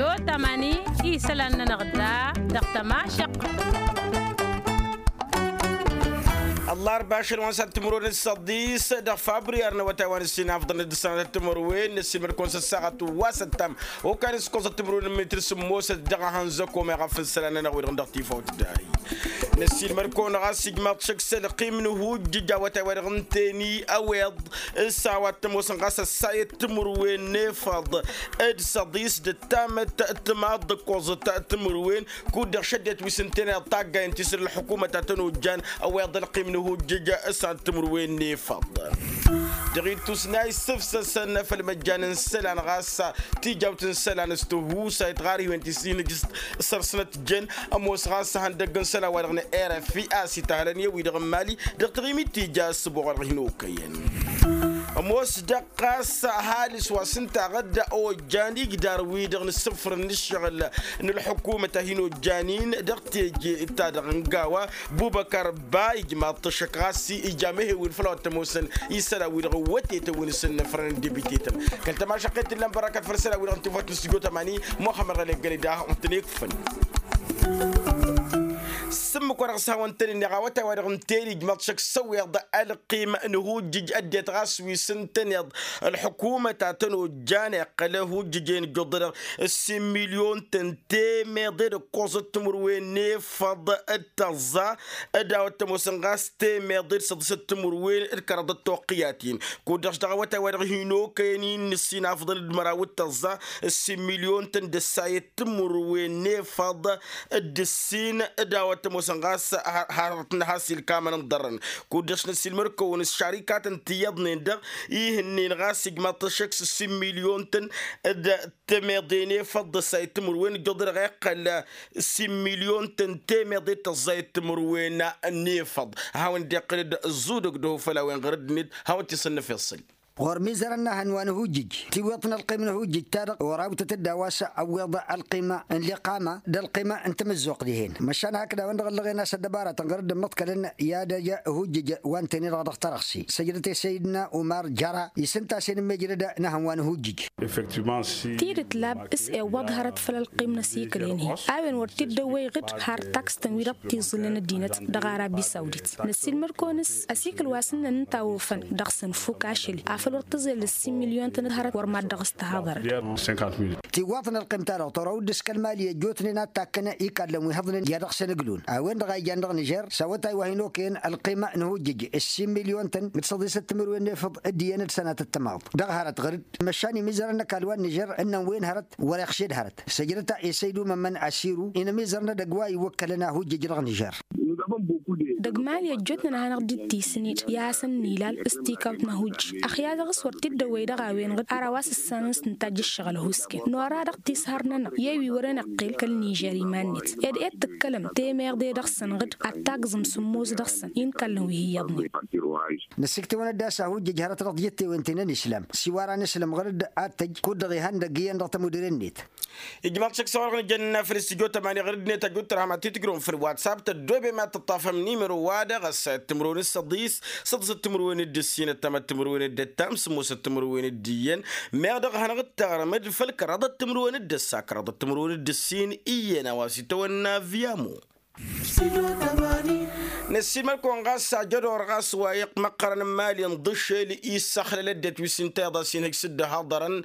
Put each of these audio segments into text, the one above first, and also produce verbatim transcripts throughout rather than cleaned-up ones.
Ămani isălan-nănăɣ da dăɣ-tămašăɣt. Ăllarba ašăl wa n-sat timǝrwen d-săḍis dăɣ-fabriyar n-awătay wa n-ǝssin afḍăn d-sănatăt timǝrwen n-ăssilmăd-kăwăn s-ăssaɣăt wa s-ăttam okal s-kăwẓăt timǝrwen n-mitǝr sǝmmosăt dăɣ-ehănzăk omeɣ a fǝnn isălan-nănăɣ wi-dăɣ n-dăɣ-tifawt d-ahi. Năssiilmăd-kăwăn ɣas ijmaḍ šăkk s-ălqim n-ihujjǝj awătay wa dăɣ-ǝnta eni ăweḍ s-a-wa t-ămoosăn ɣas ăssayăt timǝrwen n-efăḍ d-săḍis d-ăttamăt timaḍ d-ǝkkoẓăt timǝrwen. Kud-dăɣ šăddinăt wi s-ǝnta eni taggayen ti s-dd-ălḥukumăt a tăn-ojjan ăweḍ ălqim n-ihujjǝj s-ad-timǝrwen n-efăḍ. Dăɣ-ittus n-a issǝfsăsăn făll-imăjjan n-isălan ɣas tijawt n-isălan s-tihusayt ɣar ihwen ti s-hin-ǝjjǝst săr-săn ătjăn ămoos ɣas ihăndăgg n-isălan wa dăɣ-nǝ erăfi a-s itahălăn i-wi-dăɣ n-imali dăɣ-taɣimit tija ăssǝboɣ wa dăɣ-hin-okăyăn. Ămoos dăɣ-ɣas ăhalǝs wa s-ǝnta aɣădda ojjan igdar-wi-dăɣ n-ǝssǝfrǝn n-ǝššăɣǝl n-ălḥukumăt a hin-ojjan-in dăɣ-teje ta dăɣ-n gawa bubăkar ba ijmaḍ-t ăššăk ɣas ija mehe-win făll-a-wa t-ămoosăn isălan wi-dăɣ ǝwwătetăn wi n-asǝnnăfrăn n-debitetăn. Kăl-tămašăqqet tǝllan bărrakat făll-isălan wi-dăɣ n-tifawt n-stujo tămani muxămmăd ɣălek gălida. Ǝntănekfăn s-ǝmmǝk wa dăɣ-s hawăn-tăn-ǝnneɣ awătay wa dăɣ-ǝnta eni ijmaḍ šăkk s-ăwweḍ ălqim n-ihujjǝj ăddinăt ɣas wi s-ǝntăneḍ ălḥukumăt a tăn-ojjan iqqăl ihujjǝj-en ǝjjuḍ-dăɣ s-imilyon-tăn temeḍe d-ǝkkoẓăt timǝrwen n-efăḍ d-tăẓẓa d-a-wa t-ămoosăn ɣas temeḍe d-săḍisăt timǝrwen d-kăraḍăt toqqǝyat-in. Kud-dăɣ s-dăɣ-awătay wa dăɣ-hin-okăyăn-in n-ǝssin afḍăn d-măraw d-tăẓẓa s-imilyon-tăn d-ăssayăt timǝrwen n-efăḍ d-ǝssin d-a-wa t-ămoosăn ɣas hărăt n-has ilkamăn n-ḍărrăn. Kud-dăɣ s-năsilmăr-kăwăn s-šarikatăn ti iyyăḍnen-dăɣ ihǝnnen ɣas ijmaḍ-t ăššăk s-ǝssin milyon-tăn d-temeḍe n-efăḍ d-ăssayăt timǝrwen ǝjjuḍ-dăɣ iqqăl s-imilyon-tăn temeḍe d-tăẓẓayăt timǝrwen n-efăḍ. Hawăn-dd-iqqǝl-dd ăẓẓudăg d-ehăw făll-a-wen ɣur-dd-net hawăn-t-isănnăf iṣṣǝl. Ɣur-mizărăn n-ehăn wa n-ihujjǝj tiwweḍt n-ălqim n-ihujjǝj-ta-dăɣ orawtăt-dd a-wa s-ăwweḍ ălqim n-liqama d-ălqim n-tamǝzzuɣt dihen măšan hakd a-wen-dăɣ ăllăɣen a-s ăddăbaratăn ɣur-dd-ǝmmăḍkălăn i-ad-ăj ihujjǝj wa n-teni-dăɣ dăɣ-tărăɣsi săjdăt i-săyidna umar jăra isǝnta a-s inǝmmejrăd n-ehăn wa n-ihujjǝj. Tidǝt lab s-iwwăḍ hărăt făll-ălqim n-asikǝl-en-hi a-wen wăr t-dd-ăwwăyăɣ-dd har taksǝtăn wi-dăɣ t-iẓǝlăn ăddinăt dăɣ-arabi sawdit. Năssiilmăr-kăwăn s-asikǝl wa s-ǝnnăn ǝnta a ofăn dăɣ-săn fuk ašăl-i afăl wăr tǝẓel ǝssin milyon-tăn d-hărăt wăr mad-dăɣ s-tăhaḍărăd. Tiwwaḍt n-ălqim-ta-dăɣ tărawăd dăɣ-s kăl-mali ăjjootnen ad-takkăn ikallen wi hăḍnen i-ad-dăɣ-săn ǝglun a-wen-dăɣ a ijan dăɣ-nižer s-awătay wa hin-okăyăn ălqim n-ihujjǝj ǝssin milyon-tăn d-săḍisăt timǝrwen n-efăḍ d-iyyăn d-sănatăt timaḍt dăɣ-hărăt ɣǝr-dd măšan imizărăn n-ăkall wa n-nižer ǝnnăn wen hărăt wăr-iɣše d-hărăt săjdăt i-săydu mămmăn asiru inămizărăn edăgg wa iwwăkkălăn ahujjăj dăɣ-nižer. Dăgg-mali ăjjootnen a hanăɣ-dd-ittisned i-ad-hasăn-nilal s-tikawt n-ahujj ăxya dăɣ-s wăr t-dd-ăwwăy dăɣ-a-wen ɣǝd ar a-wa s-ǝssanăn s-tǝntajj ǝššăɣǝl ăhusken nora dăɣ-tisăhăr-nănăɣ i-wi wăren ăqqel kăl-nižer iman-net. Ed ed tǝkkălăm temeḍe dăɣ-săn ɣǝd ad-tagzǝm sǝmmos dăɣ-săn i n-kallăn wi hi-iyyăḍnen. Năsiktăwăn-dd a-s ahujjăj hărăt dăɣ-tijǝttewen ti n-ănislam s-iwar anǝslăm ɣǝr-dd ad-tăj kud-dăɣ ihăndăgg iyyăn dăɣ-tămudre-net. Ijmaḍ šăkk s-a-wa-dăɣ nǝjănna făll-s tijot ămani ɣǝr-dd-net ăjut tărham ad-t-tǝjrǝwăm făll-watsap tăddoobem ad-tǝṭṭafăm nimăro-wa-dăɣ ăssayăt timǝrwen d-săḍis săḍisăt timǝrwen d-ǝssin ăttamăt timǝrwen d-ăttam sǝmmosăt timǝrwen d-iyyăn. Meɣ dăɣ-hanăɣ-dd-taɣrăm-dd făll-kăraḍăt timǝrwen d-ăssa kăraḍăt timǝrwen d-ǝssin iyyăn a-wa s-itawănna viyamo. Năssiilmăd-kăwăn ɣas ajădor ɣas wa iqqăl măqqărăn n-imali n-iḍǝšel issăxlăl ăddinăt wi s-ǝnta iḍa s-inhǝj s-dd-ăhaḍărăn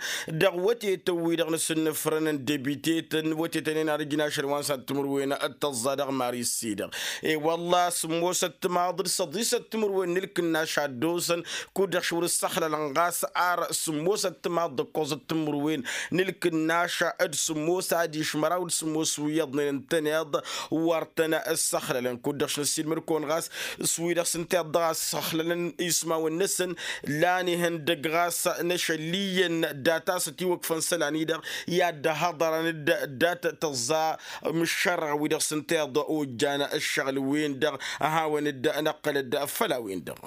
dăɣ-wătetăn-wi-dăɣ n-asǝnnǝfrăn n-debitetăn wătetăn-en ad-ǝjǝn ašăl wa n-sănat timǝrwen d-tăẓẓa dăɣ-mari s-i-dăɣ. E-wălla sǝmmosăt timaḍ d-săḍisăt timǝrwen n-ǝlkǝnnaš a dd-osăn kud-dăɣ šwăr ǝssăxlălăn ɣas ar sǝmmosăt timaḍ d-ǝkkoẓăt timǝrwen n-ǝlkǝnnaš d-sǝmmos adiš măraw d-sǝmmos wi iyyăḍnen ǝntăneḍ wăr tăn-ǝssăxlălăn kud-dăɣ š-năssiilmăd-kăwăn ɣas s-wi-dăɣ s-ǝnta iḍa a ǝssăxlălăn ismawăn-năsăn. Lan ihăndăgg ɣas n-ašăl iyyăn data s-ătiwăkfăn isălan-i-dăɣ i-ad-dd-ăhaḍărăn-dd dat-tăẓẓa mǝššărrăɣ wi-dăɣ s-ǝnta iḍa ojjan ǝššăɣǝl-wen-dăɣ. Ad-hawăn-dd-năqqăl-dd făll-a-wen-dăɣ.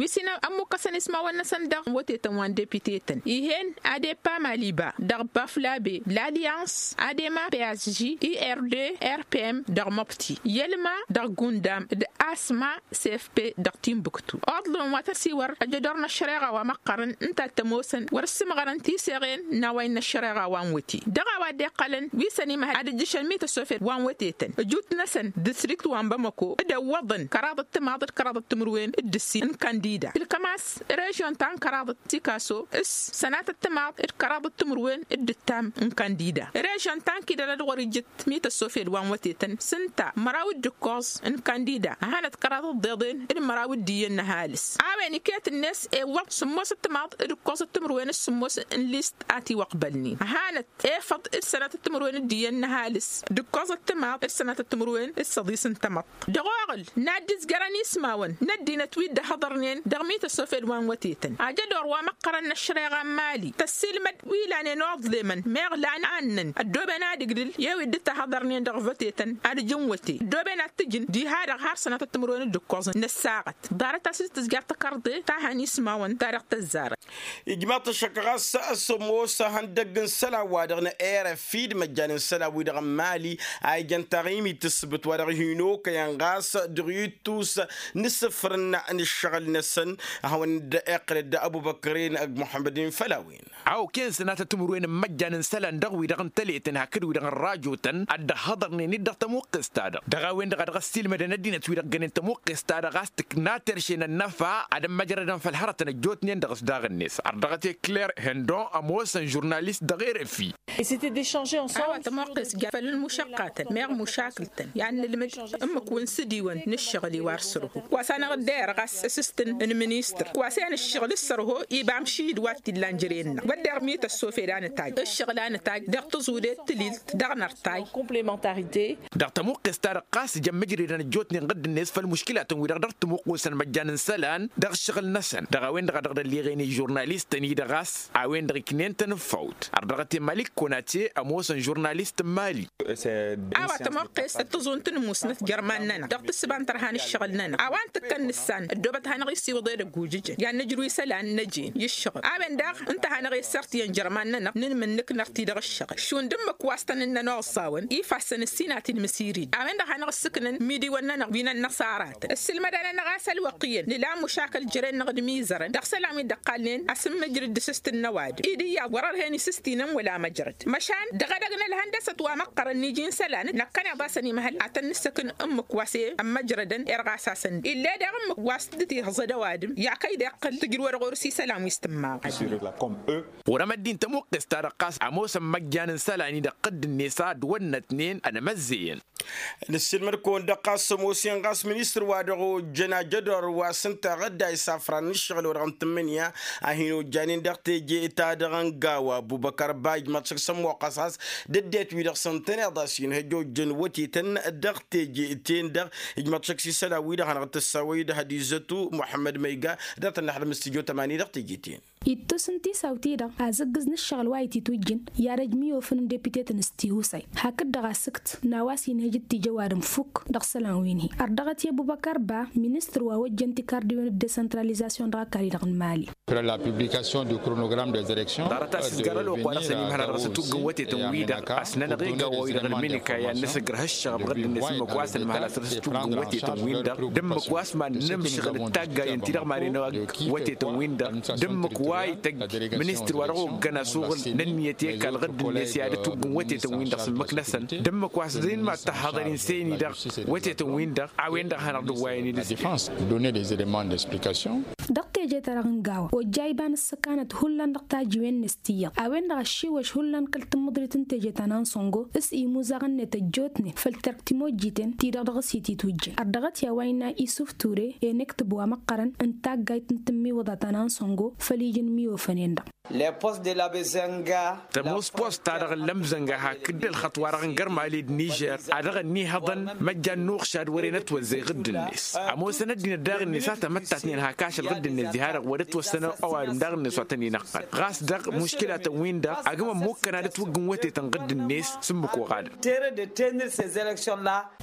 Wi s-ină ămmukkăsăn ismawăn-năsăn dăɣ-wătetăn wa n-depitetăn ih'-en, adepa maliba dăɣ-baflabe, lalyans adema psg, ird, rpm dăɣ-măbti, yălma dăɣ-gundam d-asma, cfp dăɣ-tinbuktu. Oḍlon wa tăsiwăr ăjădor n-ăššăreɣa wa măqqărăn ǝnta t-ămoosăn wăr-ǝssǝmɣărăn tiseɣen n-a-wa innă ăššăreɣa wa n-wăte dăɣ-a-wa dd-iqqălăn wi s-ănimăhăl ad-ǝjjǝšăn mităsofed wa n-wătetăn ǝjut-năsăn distrikt wa n-bamăko. D-ăwwăḍăn kăraḍăt timaḍ d-kăraḍăt timǝrwen d-ǝssin n-kandida tǝlkăm a-s režyon ta n-kăraḍăt sikaso s-sănatăt timaḍ d-kăraḍăt timǝrwen d-ǝttam n-kandida. Režyon ta n-kidăl ad-ɣur-ijǝt mităsofed wa n-wătetăn s-ǝnta măraw d-ǝkkoẓ n-kandida ăhanăt kăraḍăt d-iḍen d-măraw d-iyyăn n-ăhalǝs. A-wen iket-net ewwăḍ sǝmmos d-timaḍ d-ǝkkoẓ d-timǝrwen s-sǝmmos n-list a tiwăqbălnen ăhanăt efăḍ d-sănatăt timǝrwen d-iyyăn n-ăhalǝs d-ǝkkoẓ d-timaḍ d-sănatăt timǝrwen d-săḍis n-tamăḍt. Dăɣ-oɣǝl n-ad-dd-izgărăn ismawăn n-ăddinăt wi dd-ăhhăḍărnen dăɣ-mităsofed wa n-wătetăn ajădor wa măqqărăn n-ăššăreɣa n-mali tăssilmăd wi lanen oḍlemăn meɣ lan annăn ăddooben ad-ǝgdǝl i-wi dd-tahăḍărnen dăɣ-vătetăn ad-ǝjǝn wăte ăddooben ad-t-ǝjǝn diha-dăɣ har sănatăt timǝrwen d-ǝkkoẓăn n-ăssaɣăt. Ḍarăt a-s dd-tǝzjăr tăkărḍe ta han ismawăn ta dăɣ-tăzzarăt. Ijmaḍ-t ăššăk ɣas s-ămoos ihăndăgg n-isălan-wa-dăɣ n-rfi d-imăjjan n-isălan-wi-dăɣ n-mali a ijăn taɣimit s-sǝbǝt wa dăɣ-hin-okăyăn ɣas dăɣ-ittus n-isǝfrǝnna n-ǝššăɣǝl-năsăn. A hawăn-dd-iqqǝlăd abubăkrin d-muḥămmăd-in făll-a-wen. A okăyăn sănatăt timǝrwen n-imăjjan n-isălan dăɣ-wi-dăɣ n-tăletăn hakd wi-dăɣ n-rajotăn ad-dd-ăhhăḍărnen-dd dăɣ-tămuqqest-ta-dăɣ dăɣ-a-wen-dăɣ a dăɣ-ăssiilmădăn ăddinăt wi-dăɣ gănen tămuqqest-ta-dăɣ a-s tǝkna terše n-ănnăfa ad-ămmăjrădăn făll-hărătăn ăjjootnen dăɣ-s daɣ-net. Ărdăɣăt i-kler hindon ămoosăn žurnalist dăɣ-erăfi. A-wa tămoqqes ja făll-ǝlmušăqqatăn meɣ mušakǝl-tăn i-ad-nǝlmǝd ǝmmǝk-wǝn s-ǝdiwăn n-ǝššăɣǝl-i wa r-sărhu wa s-anăɣ-dd-ayăr ɣas s-s-tǝn n-ministăr wa s-en ǝššăɣǝl s-sărho iba amšid wa t-illan jere-năɣ wădden mităssofed anǝtaj ǝššăɣǝl anǝtaj dăɣ-tăẓudet tǝlilt dăɣ-nărtay. Dăɣ-tămuqqes-ta-dăɣ ɣas jăn mǝjredăn ăjjootnen ɣǝdd-net făll-muškilatăn-wi-dăɣ dăɣ-tămuqqusăn măjjan n-isălan dăɣ-ǝššăɣǝl-năsăn dăɣ-a-wen-dăɣ a dăɣ-dd-ălliɣen i-žurnalistăn-i-dăɣ a-s a-wen-dăɣ iknen tanǝffawt. Ărdăɣăt i-malik konate ămoosăn žurnalist n-mali. A-wa tămoqqes d-tăẓunt n-musnăt jer-iman-nănăɣ dăɣ-tǝssǝba n-tărha n-ǝššăɣǝl-nănăɣ a-wa n-tǝkkăn nǝssan ăddoobăt ad-hanăɣ-dd siwǝḍ edăgg ujǝjăn i-ad-nǝjrǝw isălan n-ăjeen i-ǝššăɣǝl a-wen daɣ ǝnta a hanăɣ-issărtǝyăn jer-iman-nănăɣ n-inmǝnnǝk nărti dăɣ-ǝššăɣǝl šund ǝmmǝk wa s-tăn-ǝnnăn oẓẓawăn ifassăn ǝssin a t-inmǝsirid a-wen-dăɣ hanăɣ-ǝssǝknăn imidiwăn-nănăɣ wi n-ănnăṣara-tăn ǝssǝlmădăn-anăɣ a-s ălwăqq iyyăn nǝla amušakăl jere-năɣ d-imizărăn dăɣ-isălan wi dd-ăqqalnen asǝmmǝjrǝd d-asǝst n-ăwadǝm-i d-iyyăḍ wăr-ărhen isǝstinăn wăla măjrăd măšan dăɣ-edăgg n-ălhăndăsăt wa măqqărăn n-iji n-isălan năkkăneḍ-asăn imhăl ad-tăn-nǝssăkn ǝmmǝk wa s-e ămmăjrădăn irɣas-asăn-dd ill'-e daɣ ǝmmǝk wa s-dd-tihǝẓăd ăwadǝm i-akăy d-iqqǝl tǝjrǝwăd ɣur-s isălan wi s-tǝmmaɣăn. Wăr-ămăddin tămuqqes-ta-dăɣ ɣas ămoosăn măjjan n-isălan-i-dăɣ ɣǝdd-net a dd-wănnătnen ănmăzzeyăn. Nǝssilmăd-kăwăn-dăɣ ɣas ămoos-en ɣas ministăr wa dăɣ-ojjăn ajădor wa s-ǝnta ɣǝdda isafran n-ǝššăɣǝl-wa-dăɣ n-tǝmmǝnǝya a hin-ojjanen dăɣ-teje-ta-dăɣ n-gawa ăbubăkar ba ijmaḍ šăk s-ămmoqqăs ɣas d-ăddinăt-wi-dăɣ s-ǝntăneḍ a-s inhăjj ojjăn wătetăn dăɣ-teje-ten-dăɣ. Ijmaḍ šăk s-isălan-wi-dăɣ hanăɣ-tǝssawăy d-hădizătu muḥămmăd ma iga dăɣ-tăn-năxdăm s-tijo tămani dăɣ-teje-ten. Ittus n-tisawt-i-dăɣ azǝggǝz n-ǝššăɣǝl wa ititwǝjjǝn i-ad-ăj miyofăn n-depite-tăn s-tihusay hakd-dăɣ asǝkt n-a-wa s-inhăj d-tijăwadǝm fukk dăɣ-isălan wi n-hi-ărdăɣăt i-ăbubăkar ba ministăr wa ojjăn tikardiwen d-desăntralizasyon dăɣ-ăkall-i-dăɣ n-mali. Ḍarăt a-s izgar ălwăqq wa dăɣ-săn imhăl ad-dăɣ-s ătuggǝn wătetăn-wi-dăɣ a-s nănăɣ-iga wa-wi-dăɣ ălmǝnǝka i-ad-năsǝgrăh ǝššăɣăb ɣǝdd-net ǝmmǝk wa s-ănmăhăl a-s dăɣ-s ătuggǝn wătetăn-win-dăɣ d-ǝmmǝk wa s-mad-nǝmšăɣ d-taggayăn-ti-dăɣ mad-inăɣ wătetăn-win-dăɣ d-ǝmmǝk wa ităgg ministăr wa dăɣ-oggăn asuɣǝl n-ǝnniyăt i-ăkall ɣǝdd-net i-ad-ătuggǝn wătetăn-win-dăɣ s-ǝmmǝk-năsăn d-ǝmmǝk wa s-dăɣ-inmad tăhhăḍăn insen-i-dăɣ wătetăn-win-dăɣ a-wen-dăɣ hanăɣ-dd-ăwwayăn i-dăɣ-s. Dăɣ-teje-ta-dăɣ n-gawa ojja iba n-ǝssăkanăt hullan dăɣ-tajiwen-net tiyyăḍ a-wen-dăɣ ăššiwăš hullan kăl-tǝmmǝḍrit n-teje ta n-ansăngo s-imuzaɣăn-net ăjjootnen făll-terk timojjiten-ti-dăɣ dăɣ-s ititwǝjjăn ărdăɣăt i-a-wa innă isuf ture enǝktǝb wa măqqărăn n-taggayt n-tǝmmiwǝḍa ta n-ansăngo făll-iji n-imiyofănen-dăɣ. Tămoos post-ta-dăɣ n-lămzănga hakd ălxăṭṭ-wa-dăɣ n-gărmali d-nižer a dăɣ-ănnihăḍăn măjjan n-uɣšad wăren ătwăzzăy ɣǝdd-net ămoosăn ăddinăt daɣ-net a tamăttatnen hak ašăl. ɣ-dd-net diha-dăɣ wăr dd-ătwăssănăw ăwadǝm daɣ-net wa tăn-inaqqăl ɣas dăɣ-muškilatăn-win-dăɣ agǝmăn mukăn ad-ătwǝggǝn wătetăn ɣǝdd-net s-ǝmmǝk oɣadăn.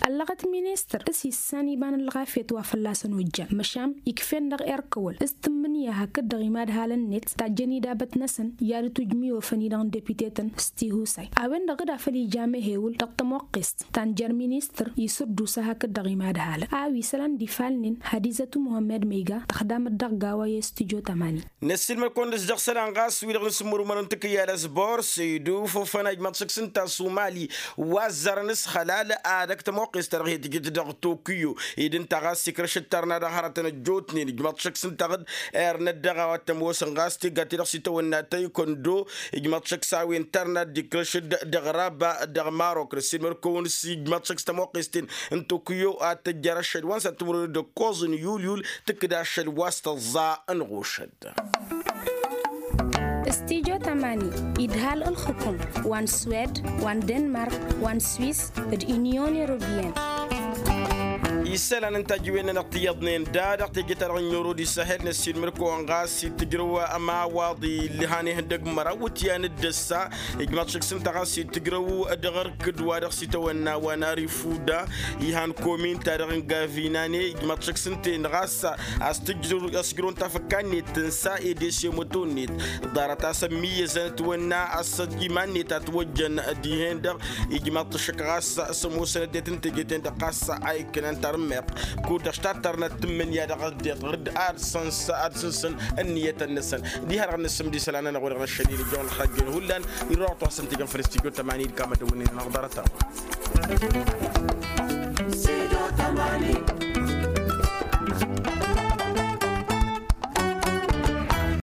Ăllăɣăt ministăr s-issan iba n-ălɣafyăt wa fălla-săn ojjan măšan ikf'-en dăɣ-erkăwăl s-tǝmmǝnǝya hakd-dăɣ imadhalăn-net tajjăn idabăt-năsăn i-ad-ǝtwǝjmǝyofăn i-dăɣ n-depitetăn s-tihusay a-wen-dăɣ d-afăl ija amehewǝl dăɣ-tămoqqest ta n-jer-ministăr isǝddusa hakd-dăɣ imadhalăn a-wa isălan d-ifalnen hadizăt u-muhămmed ma iga tăxdamăt dăɣ-gawa i-studyo tămani. Năssiilmăd-kăwăn-dăɣ s-dăɣ-isălan ɣas wi-dăɣ n-sǝmmǝrumărăn tǝkkǝyya d-asbor săydu făfăna ijmaḍ šăkk s-ǝnta a-s umali wa ăzzarăn s-xălal. Ad-ăkk tămoqqest-ta-dăɣ hi-tǝjǝt dăɣ-tokyo ed ǝnta ɣas ikrăš d-tarna-dăɣ hărătăn ăjjootnen ijmaḍ šăkk s-ǝnta a-ɣ-dd-ernăt dăɣ-a-wa t-ămoosăn ɣas tigga-ti-dăɣ s-itawănna taykondo ijmaḍ šăkk s-a-wen tarna dd-ikrăš-dd dăɣ-raba dăɣ-marok năssiilmăd-kăwăn s-ijmaḍ šăkk s-tămoqqest-ten n-tokyo ad-tăjjăr ašăl wa n-săr timǝrwen d-ǝkkoẓ n-yulyul tǝkkǝd ašăl wa s-tăẓẓa n-ɣušăd. Studyo tămani idhal ǝlxǝkum wa n-swed wa n-denmark wa n-swis d-inyon europeyăn. Isălan n-tajǝwen-nănăɣ ti iyyăḍnen da dăɣ-teje-ta-dăɣ n-yoro d-isăhel năssiilmăd-kăwăn ɣas itǝjrăw ămawaḍ illăhan ihăndăg măraw wǝtyan d-ăssa ijmaḍ šăkk s-ǝnta ɣas itǝjrăw dăɣ-ărkǝd wa dăɣ-s itawănna wa n-arifuda. Ihan komin-ta-dăɣ n-gavinane ijmaḍ šăkk s-ǝnta-en ɣas a-s tǝjrăw n-tafăkka-net tǝnsa ed esemăto-net ḍarăt a-s ămmiyyăzăn ătwănna a-s iman-net a ătwăjjăn dihen-dăɣ. Ijmaḍ-t šăkk ɣas s-ămoosăn ăddinăt n-teje-ten-dăɣ ɣas a ikkănăn tarǝmmeḍt kud-dăɣ s-tattărnăt tǝmmǝnǝya dăɣ-ăddinăt ɣǝr-dd ad-săns ad-sǝnsǝn ǝnniyătăn-năsăn. Diha-dăɣ n-asǝm d-isălan-nănăɣ wa dăɣ-năššăl i-nǝjjăwăn ălxajjăn hullan. Irrăwăt wa s-ǝntǝjăn făll-studyo tămani d-kamătăwăn-in-nănăɣ ḍarăt-a-wa.